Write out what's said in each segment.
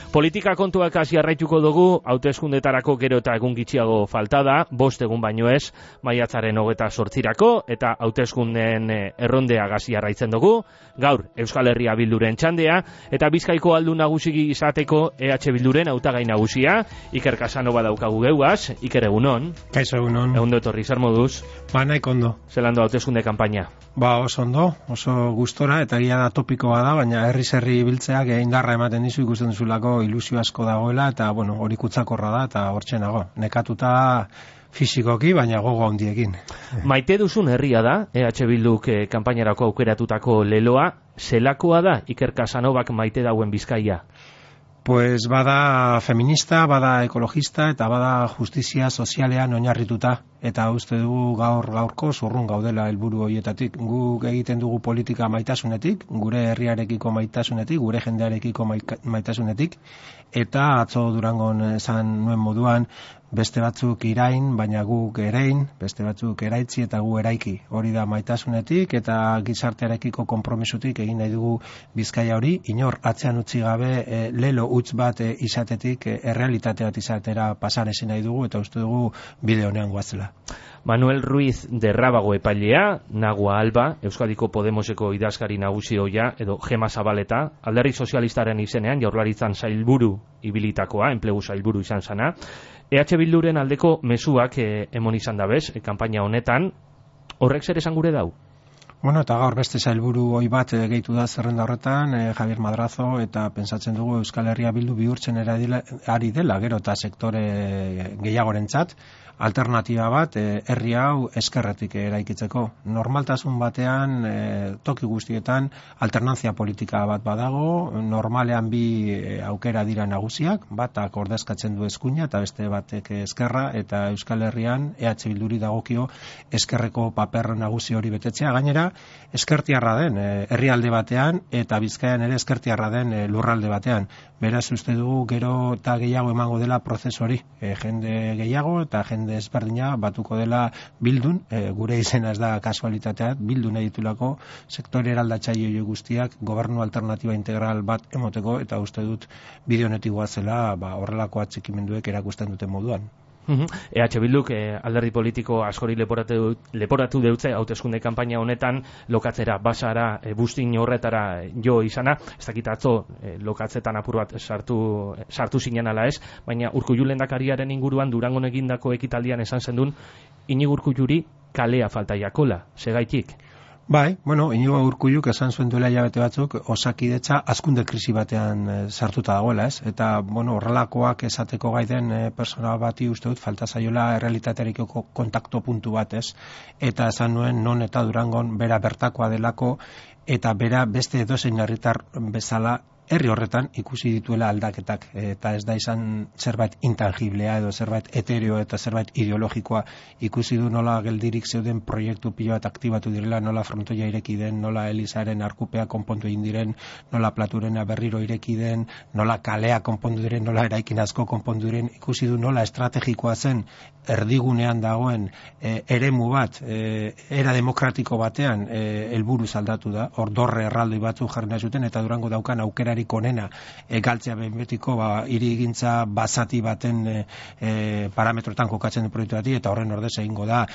Politika kontuak hasi jarraituko dugu, hauteskundetarako gero eta egun gitxiago falta da, 5 egun baino ez, maiatzaren 28rako, eta hauteskundeen errondea hasi jarraitzen dugu. Gaur, Euskal Herria Bilduren txandea, eta Bizkaiko aldun nagusi izateko EH Bilduren hautagai nagusia, Iker Casanova daukagu geuaz. Iker, egunon. Kaixo, egunon. Egundo etorri, zer moduz? Nahiko ondo. Zelando hauteskunde kanpaina? Oso ondo, oso gustora, eta egia da topikoa da, baina herri biltzeak indarra ematen dizu, ikusten duzulako ilusio asko dagoela, eta hori kutsakorra da, eta hortxe nago. Nekatuta fisikoki, baina gogo handiekin. Maite duzun herria da, EH Bilduk kanpainarako aukeratutako leloa, zelakoa da Iker Casanovak maite dauen Bizkaia? Pues bada feminista, bada ekologista eta bada justizia sozialean oinarrituta, eta uste dugu gaurko zurrun gaudela helburu horietatik. Guk egiten dugu politika maitasunetik, gure herriarekiko maitasunetik, gure jendearekiko maitasunetik, eta atzo Durangon esan nuen moduan, beste batzuk irain, baina guk erein, beste batzuk eraitzi eta gu eraiki. Hori da maitasunetik eta gizartearekiko konpromisotik egin nahi dugu Bizkaia hori, inor atzean utzi gabe lelo utz bat izatetik errealitate bat izatera pasan ezin nahi dugu, eta uste dugu bide honean goazela. Manuel Ruiz de Rábago epailea, Nagua Alba, Euskadiko Podemoseko idazkari nagusi ohia, edo Gema Zabaleta, Alderdi Sozialistaren izenean jaurlaritzan sailburu ibilitakoa, enplegu sailburu izan zana. EH Bilduren aldeko mezuak emon izan dabez, kanpaina honetan, horrek zer esan gure dau? Eta gaur beste sailburu hoi bat gehitu da zerrenda horretan, Javier Madrazo, eta pentsatzen dugu Euskal Herria Bildu bihurtzen ari dela, gero eta sektore gehiagorentzat, alternatiba bat herri hau eskerretik eraikitzeko. Normaltasun batean, toki guztietan, alternantzia politika bat badago, normalean bi aukera dira nagusiak, batak ordezkatzen du eskuina eta beste batek eskerra, eta Euskal Herrian EH Bilduri dagokio eskerreko paper nagusi hori betetzea. Gainera, eskertiarra den herrialde batean, eta Bizkaian ere eskertiarra den lurralde batean. Beraz, uste dugu gero eta gehiago emango dela prozesu hori. Jende gehiago eta jende ezberdina batuko dela Bildun, gure izena ez da kasualitatea, Bildun editulako sektore eraldatzaile guztiak gobernu alternatiba integral bat emoteko, eta uste dut bide honetik goazela horrelako atxikimenduek erakusten duten moduan. EH Bilduk alderdi politiko askori leporatu deutze hauteskunde kanpaina honetan lokatzera, basara, bustin horretara jo izana, ez dakit atzo lokatzetan apur bat sartu zinen ala ez, baina Urkullu lehendakariaren inguruan Durangon egindako ekitaldian esan zendun, Iñigo Urkulluri kalea falta jakola, segaitik? Iñigo Urkulluk esan zuen duela hilabete batzuk Osakidetza hazkunde krisi batean sartuta dagoela, ez? Eta, horrelakoak esateko gaiden persona bati uste dut falta zaiola errealitatearekiko kontakto puntu bat, ez? Eta esan nuen non eta Durangon bera bertakoa delako, eta bera beste edozein herritar bezala herri horretan ikusi dituela aldaketak, eta ez da izan zerbait intangiblea edo zerbait etereo eta zerbait ideologikoa. Ikusi du nola geldirik zeuden proiektu pilo bat aktibatu direla, nola frontoia ireki den, nola Elizaren arkupea konpontu egin diren, nola Platurena berriro ireki den, nola kalea konpondu diren, nola eraikin asko konpondu diren. Ikusi du nola estrategikoa zen erdigunean dagoen eremu bat, era demokratiko batean helburuz aldatu da, ordorre erraldoi batzu jarri nahi zuten, eta Durango daukan aukerari onena galtzea behin betiko hirigintza basati baten parametroetan kokatzen du proiektu bati, eta horren ordez egingo da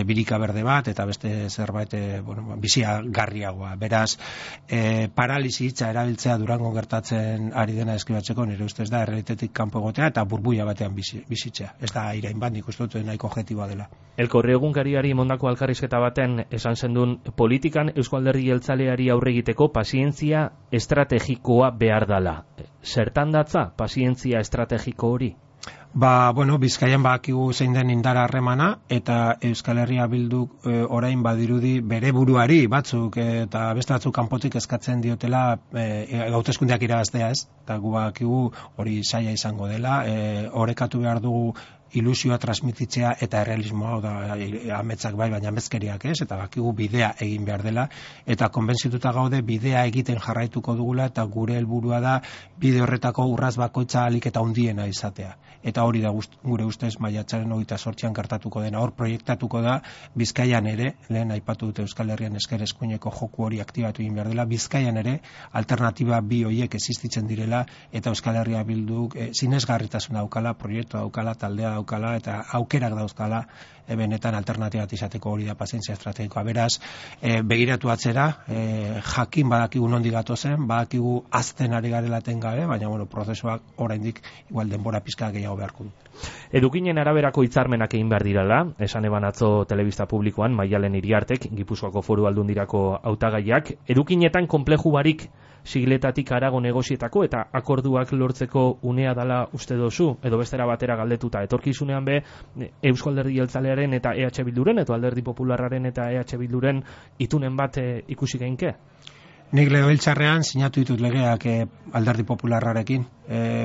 birika berde bat eta beste zerbait bizia garriagoa. Beraz, paralisi hitza erabiltzea Durango gertatzen ari dena eskribatzeko nire ustez da errealitatetik kanpo egotea eta burbuila batean bizitzea. Ez da irain bat, nik uste dut nahiko objektiboa dela. Elkorri egunkariari mondako alkarrizketa baten esan zendun, politikan Eusko Alderdi Jeltzaleari aurre egiteko pazientzia estrategikoa behar dala. Zertan datza pazientzia estrategiko hori? Bizkaian badakigu zein den indara harremana, eta Euskal Herria Bilduk orain badirudi bere buruari batzuk eta beste batzuk kanpotik eskatzen diotela hauteskundeak irabaztea, ez? Eta gu badakigu hori zaila izango dela, orekatu behar dugu ilusioa transmititzea eta errealismoa, da ametsak bai, baina amezkeriak ez, eta bakigu bidea egin behar dela, eta konbentzituta gaude bidea egiten jarraituko dugula, eta gure helburua da bide horretako urraz bakoitza ahalik eta handiena izatea. Eta hori da gure ustez maiatzaren 28an gertatuko dena. Hor proiektatuko da Bizkaian ere, lehen aipatu dute Euskal Herrian esker eskuineko joku hori aktibatu egin behar dela, Bizkaian ere alternatiba bi horiek existitzen direla, eta Euskal Herria Bilduk sinesgarritasuna daukala, proiektua daukala, taldea daukala, eta aukerak dauzkala benetan alternatibat izateko. Hori da pazientzia estrategikoa. Beraz, begiratu atzera, jakin badakigu nondik gatozen, badakigu azten ari garelaten gabe, baina prozesuak oraindik igual denbora pizka gehiago beharko du. Edukinen araberako hitzarmenak egin behar dirala, esan eban atzo telebista publikoan Maialen Iriartek, Gipuzkoako Foru Aldundirako hautagaiak, edukinetan konpleju barik sigletatik harago negozietako eta akorduak lortzeko unea dala uste dozu, edo bestera batera galdetuta, etorkizunean be Eusko Alderdi Jeltzalearen eta EH Bilduren, edo Alderdi Popularraren eta EH Bilduren itunen bat ikusi geinke? Nik legebiltzarrean sinatu ditut legeak Alderdi Popularrarekin,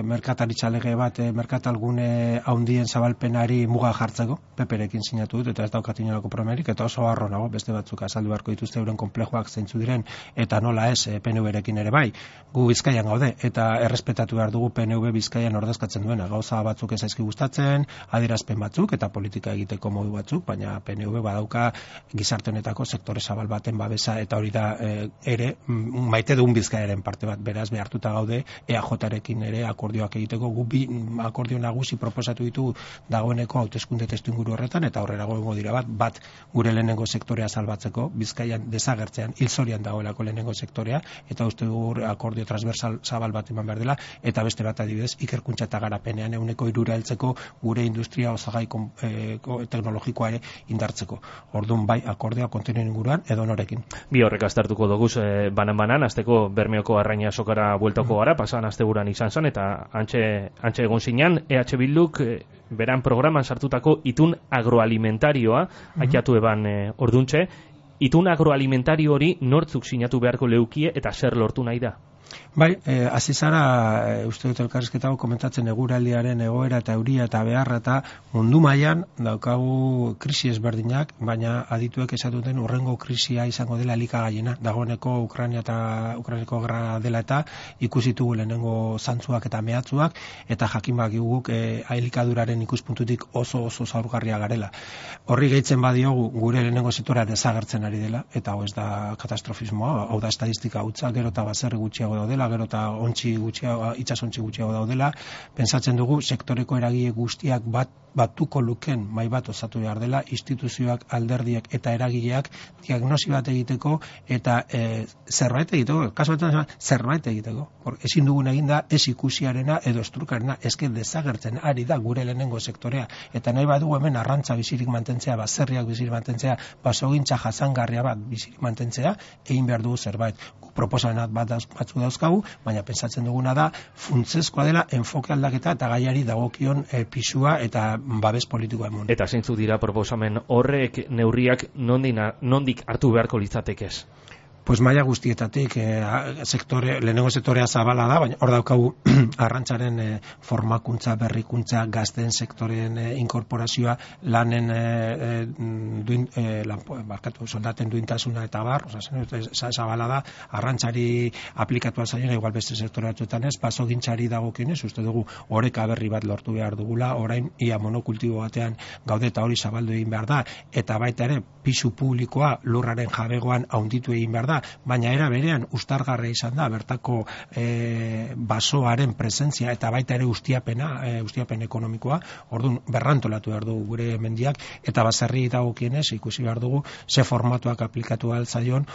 merkataritza lege bat, merkatalgune handien zabalpenari muga jartzeko, PPrekin sinatu dut, eta ez daukat inolako problemik, eta oso harro nago, beste batzuk azaldu beharko dituzte euren konplejoak zeintzu diren, eta nola ez PNV-rekin ere bai. Gu Bizkaian gaude, eta errespetatu behar dugu PNV Bizkaian ordezkatzen duena. Gauza batzuk ez zaizki gustatzen, adierazpen batzuk, eta politika egiteko modu batzuk, baina PNV badauka gizarte honetako sektore zabal baten babesa, eta hori da ere maite duen Bizkaiaren parte bat, beraz behartuta gaude EAJarekin ere akordioak egiteko. Gu bi akordio nagusi proposatu ditu dagoeneko hauteskunde testuinguru horretan, eta aurrera egongo dira bat gure lehenengo sektorea salbatzeko, Bizkaian desagertzean hilzorian dagoelako lehenengo sektorea, eta uste dugu akordio transversal zabal bat eman behar dela, eta beste bat adibidez ikerkuntza eta garapenean 3% heltzeko gure industria osagai teknologikoa ere indartzeko. Orduan bai akordioa kontinuen inguruan edo norekin. Bi horrek aztertuko dugu banan azteko Bermeoko Arraina sokara bueltoko gara, pasan asteburuan izan zen, eta antxe egon zinean, EH Bilduk beran programan sartutako itun agroalimentarioa, aitzatu eban orduntxe, itun agroalimentario hori nortzuk sinatu beharko leukie eta zer lortu nahi da? Bai, hasi zara, uste dut elkarrizketago komentatzen eguraldiaren egoera eta euria eta beharra, eta mundu mailan daukagu krisi ezberdinak, baina adituek esatuten urrengo krisia izango dela elikagaiena. Dagoeneko Ukrainako gerra dela eta ikusitugu lehenengo zantzuak eta mehatzuak, eta jakin bakiguk elikaduraren ikuspuntutik oso zaurgarria garela. Horri gehitzen badiogu gure lehenengo sektorea desagertzen ari dela, eta hau ez da katastrofismoa, hau da estadistika hutsa, gero eta baserri gutxiago daudela, gero eta itsasontzi gutxiago daudela. Pentsatzen dugu sektoreko eragile guztiak batuko luken mai bat osatu behar dela, instituzioak, alderdiak eta eragileak diagnosi bat egiteko eta zerbait egiteko, kasu batean zerbait egiteko. Ezin dugun egin da ez ikusiarena edo estrukarena, eske desagertzen ari da gure lehenengo sektorea, eta nahi badugu hemen arrantza bizirik mantentzea, baserriak bizirik mantentzea, basogintza jasangarria bat bizirik mantentzea, egin behar dugu zerbait. Proposamenak batzu dauzkagu, baina pentsatzen duguna da funtsezkoa dela enfoke aldaketa eta gaiari dagokion pisua eta babes politikoa emun. Eta zeintzuk dira proposamen horrek neurriak nondik hartu beharko litzatekez? Pues maila guztietatik, lehenengo sektorea zabala da, baina hor daukagu arrantzaren formakuntza, berrikuntza, gazten sektoren inkorporazioa, lanen soldaten duintasuna eta bar, zabala da, arrantzari aplikatua zaien, igual beste sektore batzuetan ez, basogintzari dagokionez, uste dugu oreka berri bat lortu behar dugula, orain ia monokultibo batean gaude eta hori zabaldu egin behar da, eta baita ere pisu publikoa lurraren jabegoan haunditu egin behar da, baina era berean ustargarria izan da bertako basoaren presentzia eta baita ere ustiapen ekonomikoa. Orduan berrantolatu behar dugu gure mendiak, eta baserri dagokienez ikusi behar dugu ze formatuak aplikatu ahal zaion,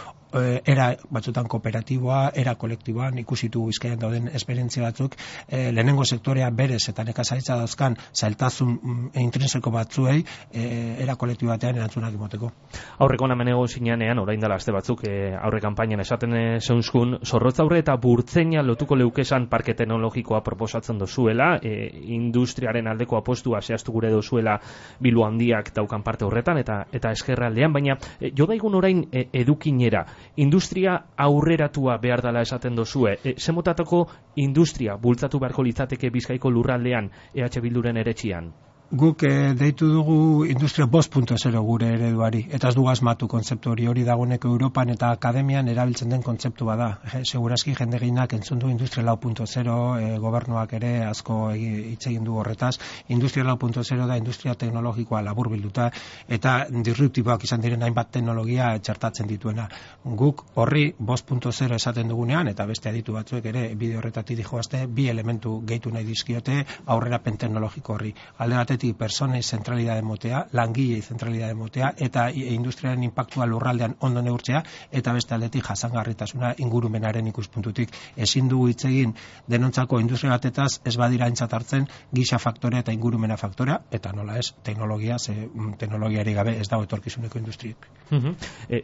era batzutan kooperatiboa, era kolektiboan, ikusitu Bizkaian dauden esperientzia batzuk, lehenengo sektorea berez eta nekazaritza dauzkan zailtasun intrinseko batzuei era kolektibo batean erantzunak emoteko. Aurreko namen egon zinean, orain dela aste batzuk, aurre kanpainan esaten zeunzkun, Zorrotzaurre eta Burtzeina lotuko leukesan parke teknologikoa proposatzen dozuela, industriaren aldeko apostua zehaztu gure dozuela Bilbo Handiak daukan parte horretan eta eskerraldean, baina jo daigun orain edukinera, industria aurreratua behar dela esaten dozue, zemotatako industria bultzatu beharko litzateke Bizkaiko lurraldean EH Bilduren eretxian? Guk deitu dugu industria 5.0 gure ereduari, eta ez dugu asmatu kontzeptu hori dagoeneko Europan eta akademian erabiltzen den kontzeptu bada. Segurazki jende gehienak entzun du industria 4.0, gobernuak ere asko hitz egin du horretaz. Industria 4.0 da industria teknologikoa laburbilduta eta disruptiboak izan diren hainbat teknologia txertatzen dituena. Guk horri 5.0 esaten dugunean, eta beste aditu batzuek ere bide horretatik dijoazte, bi elementu gehitu nahi dizkiote aurrerapen teknologiko horri. Alde batetik personei zentralidade motea, langilei zentralidade motea, eta industriaren inpaktua lurraldean ondo neurtzea, eta beste aldetik jasangarritasuna ingurumenaren ikuspuntutik. Ezin dugu hitz egin denontzako industria batetaz ez badira aintzat hartzen gisa faktorea eta ingurumena faktorea, eta nola ez, teknologiari gabe ez dago etorkizuneko industriek.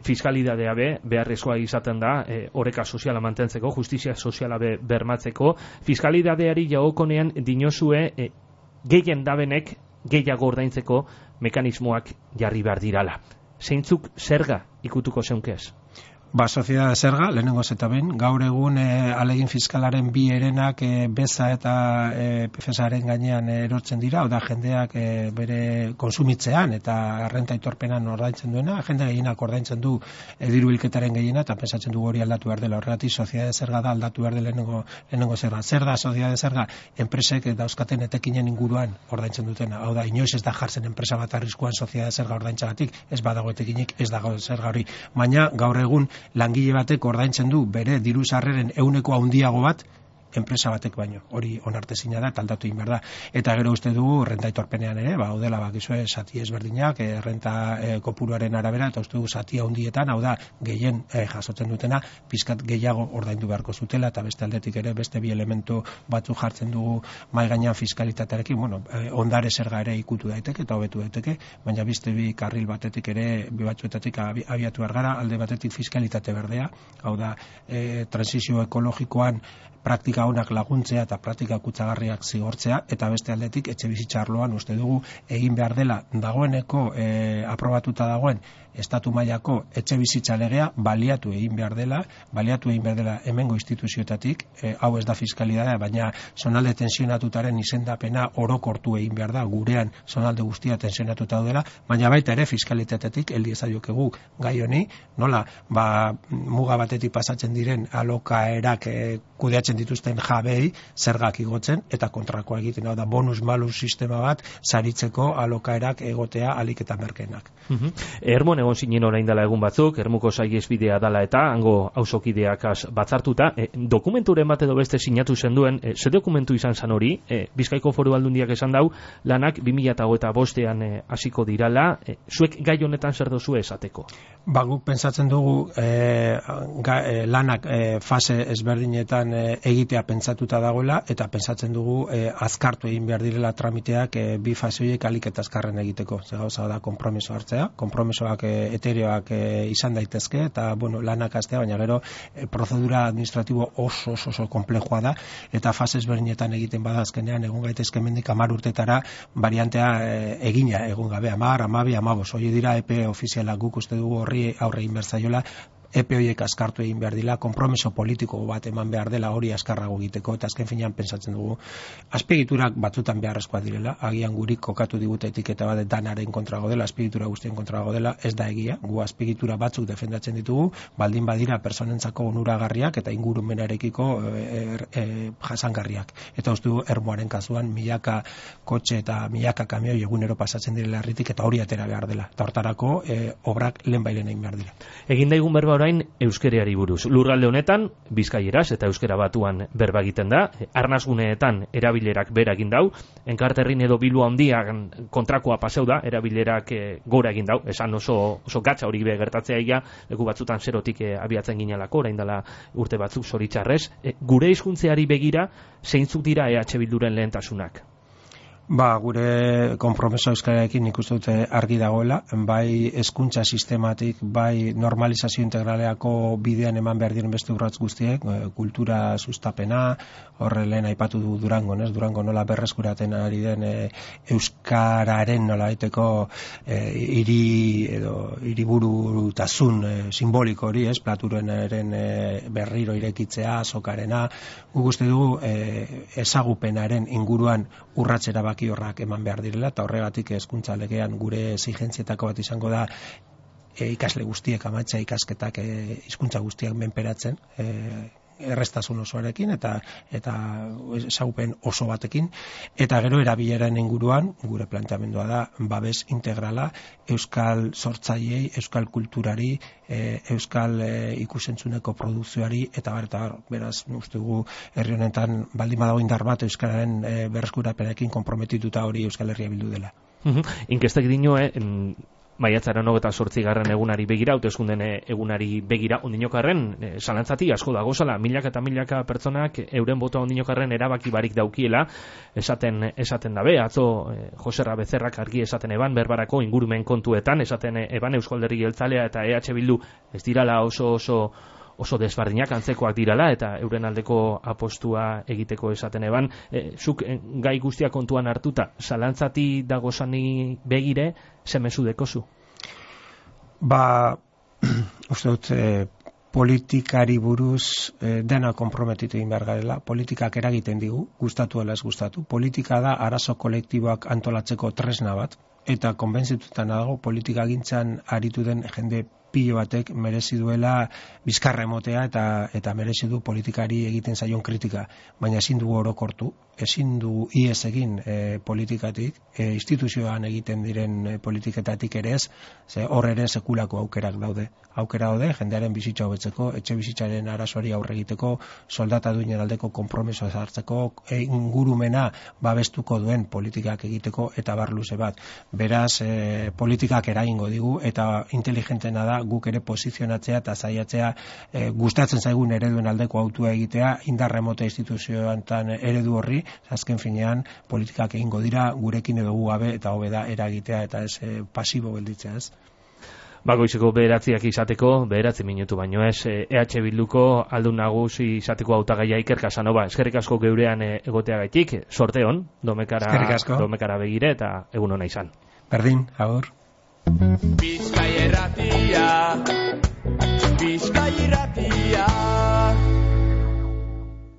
Fiskalidadea beharrezkoa izaten da, oreka soziala mantentzeko, justizia soziala bermatzeko. Fiskalidadeari jagokonean dinozue gehien dabenek gehiago ordaintzeko mekanismoak jarri behar dirala. Zeintzuk zerga ikutuko zeunkez? Soziedade zerga, lehenengoz eta behin, gaur egun alegin fiskalaren bi herenak beza eta PFS-aren gainean erortzen dira, oda jendeak bere konsumitzean eta renta aitorpenan ordaintzen duena, jende gehienak ordaintzen du diru bilketaren gehiena, eta pensatzen du hori aldatu behar dela. Horregatik soziedade zerga da aldatu behar dela lehenengo zerga. Zer da soziedade zerga? Enpresek dauzkaten etekinen inguruan ordaintzen dutena. Hau da, inoiz ez da jartzen enpresa bat arriskuan soziedade zerga ordaintzagatik, ez badago etekinik, ez dago zerga hori. Baina gaur egun langile batek ordaintzen du bere diru sarreren 100% handiago bat enpresa batek baino. Hori onartezina da, aldatu egin behar da. Eta gero uste dugu renta aitorpenean ere, daudela bakizue zati ezberdinak, renta kopuruaren arabera, eta uste dugu zati handietan, hau da, gehien jasotzen dutena, pizkat gehiago ordaindu beharko zutela, eta beste aldetik ere beste bi elementu batzu jartzen dugu mai gainean fiskalitatearekin, ondare zerga ere ikutu daiteke eta hobetu daiteke, baina beste bi karril batetik ere, bi batzuetatik abiatu behar gara, alde batetik fiskalitate berdea, hau da, transizio ekologikoan praktika honak laguntzea eta praktika kutsagarriak zigortzea, eta beste aldetik etxe bizitza arloan uste dugu egin behar dela dagoeneko aprobatuta dagoen estatu mailako etxe bizitza legea baliatu egin behar dela hemengo instituzioetatik, hau ez da fiskalidadea, baina zonalde tensionatutaren izendapena orokortu egin behar da, gurean zonalde guztia tensionatuta daudela, baina baita ere fiskalitatetik heldi ezaiokegu gai honi, nola, muga batetik pasatzen diren alokaerak kudeatzen dituzten jabei zergak igotzen eta kontrakoa egiten, da bonus malus sistema bat saritzeko alokaerak egotea alik eta merkeenak. Ermon egon zinen orain dela egun batzuk, Ermuko saihesbidea dala eta hango auzokideak batzartuta, dokumenturen bat edo beste sinatu zenduen, ze dokumentu izan zan hori, Bizkaiko Foru Aldundiak esan dau, lanak 2025ean hasiko dirala, zuek gai honetan zer dozue esateko? Guk pentsatzen dugu lanak fase ezberdinetan egitea pentsatuta dagoela, eta pentsatzen dugu azkartu egin behar direla tramiteak bi fase horiek alik eta azkarren egiteko. Ze gauza da konpromiso hartzea, konpromisoak etereoak izan daitezke, eta lanak hastea, baina gero prozedura administratibo oso komplexua da, eta fase ezberdinetan egiten bada azkenean egun gaitezke mendik 10 urtetara variantea egina egun gabe, 10, 12, 15, hori dira epe ofizialak. Guk uste dugu horri aurre egin behar zaiola, epe horiek askartu egin behar dela, konpromiso politiko bat eman behar dela hori askarrago egiteko, eta azken finean pentsatzen dugu azpiegiturak batzutan beharrezkoa direla, agian gurik kokatu digute etiketa bat danaren kontrago dela, azpiegitura guztien kontrago dela, ez da egia, gu azpiegitura batzuk defendatzen ditugu, baldin badira personentzako onuragarriak eta ingurumenarekiko jasangarriak. Eta uste dugu Ermuaren kasuan milaka kotxe eta milaka kamioi egunero pasatzen direla herritik, eta hori atera behar dela. Eta hortarako obrak lehenbailen egin behar dira. Egin daigun berba orain euskereari buruz. Lurralde honetan bizkaieraz eta euskera batuan berba egiten da, arnasguneetan erabilerak bera egin dau, Enkarterrin edo Bilbo handian kontrakoa paseu da, erabilerak gora egin dau, esan oso gatza hori gertatzea ia, leku batzutan zerotik abiatzen ginelako, orain dela urte batzuk zoritxarrez. Gure hizkuntzeari begira, zeintzuk dira EH Bilduren lehentasunak? Gure konpromiso euskararekin nik uste dute argi dagoela, bai hezkuntza sistematik, bai normalizazio integraleako bidean eman behar diren beste urratz guztiek, kultura sustapena, horre lehen aipatu du Durango, Durango nola berreskuraten ari den euskararen nola aiteko hiriburutasun simboliko hori, Platurenaren berriro irekitzea, azokarena, guk uste dugu ezagupenaren inguruan urratzera erabaki horrak eman behar direla, eta horregatik hezkuntza legean gure exigentzietako bat izango da ikasle guztiek amaitza ikasketak hizkuntza guztiak menperatzen, errestasun osoarekin eta saupen oso batekin, eta gero erabileren inguruan gure planteamendua da babes integrala euskal sortzaileei, euskal kulturari, euskal ikusentzuneko produkzioari eta beraz uste dugu herri honetan baldin badago indar bat euskararen berreskurapenekin konprometituta hori Euskal Herria bildu dela. Inkestek dinoe maiatzaren 28. egunari begira, hauteskunden egunari begira, ondinokarren zalantzati asko dagozala, milaka eta milaka pertsonak euren botoa ondinokarren erabaki barik daukiela, esaten dabe, atzo Joserra Bezerrak argi esaten eban, berbarako ingurumen kontuetan, esaten eban Eusko Alderdi Jeltzalea eta EH Bildu ez dirala oso desbardinak antzekoak dirala eta euren aldeko apostua egiteko esaten eban. Zuk gai guztia kontuan hartuta, zalantzati dagozani begire, zemezu dekozu? Uste dut, politikari buruz dena konprometitu egin behar garela, politikak eragiten digu, gustatu ala ez gustatu. Politika da arazo kolektiboak antolatzeko tresna bat, eta konbentzitutan dago politikagintzan aritu den jende pilo batek merezi duela bizkarra emotea eta merezi du politikari egiten zaion kritika, baina ezin dugu orokortu, ezin du ies egin politikatik, instituzioan egiten diren politiketatik ere ez, hor ere sekulako aukerak daude, jendearen bizitza hobetzeko, etxe bizitzaren arazoari aurre egiteko, soldata duinen aldeko konpromisoa hartzeko, ingurumena babestuko duen politikak egiteko eta bar luze bat. Beraz, politikak eragingo digu eta inteligentena da guk ere posizionatzea eta saiatzea gustatzen zaigun ereduen aldeko autua egitea, indar remota instituzioetan eredu horri, azken finean politikak egingo dira gurekin edo gu gabe eta hobe da eragitea eta ez pasibo gelditzea, ez? Goizeko 9 izateko, 9 minutu baino ez, EH Bilduko aldun nagusi izateko hautagaia Iker Casanova, eskerrik asko geurean egoteagaitik, sorte on, domekara begire eta egun ona izan. Berdin, agur. Bizkai irratia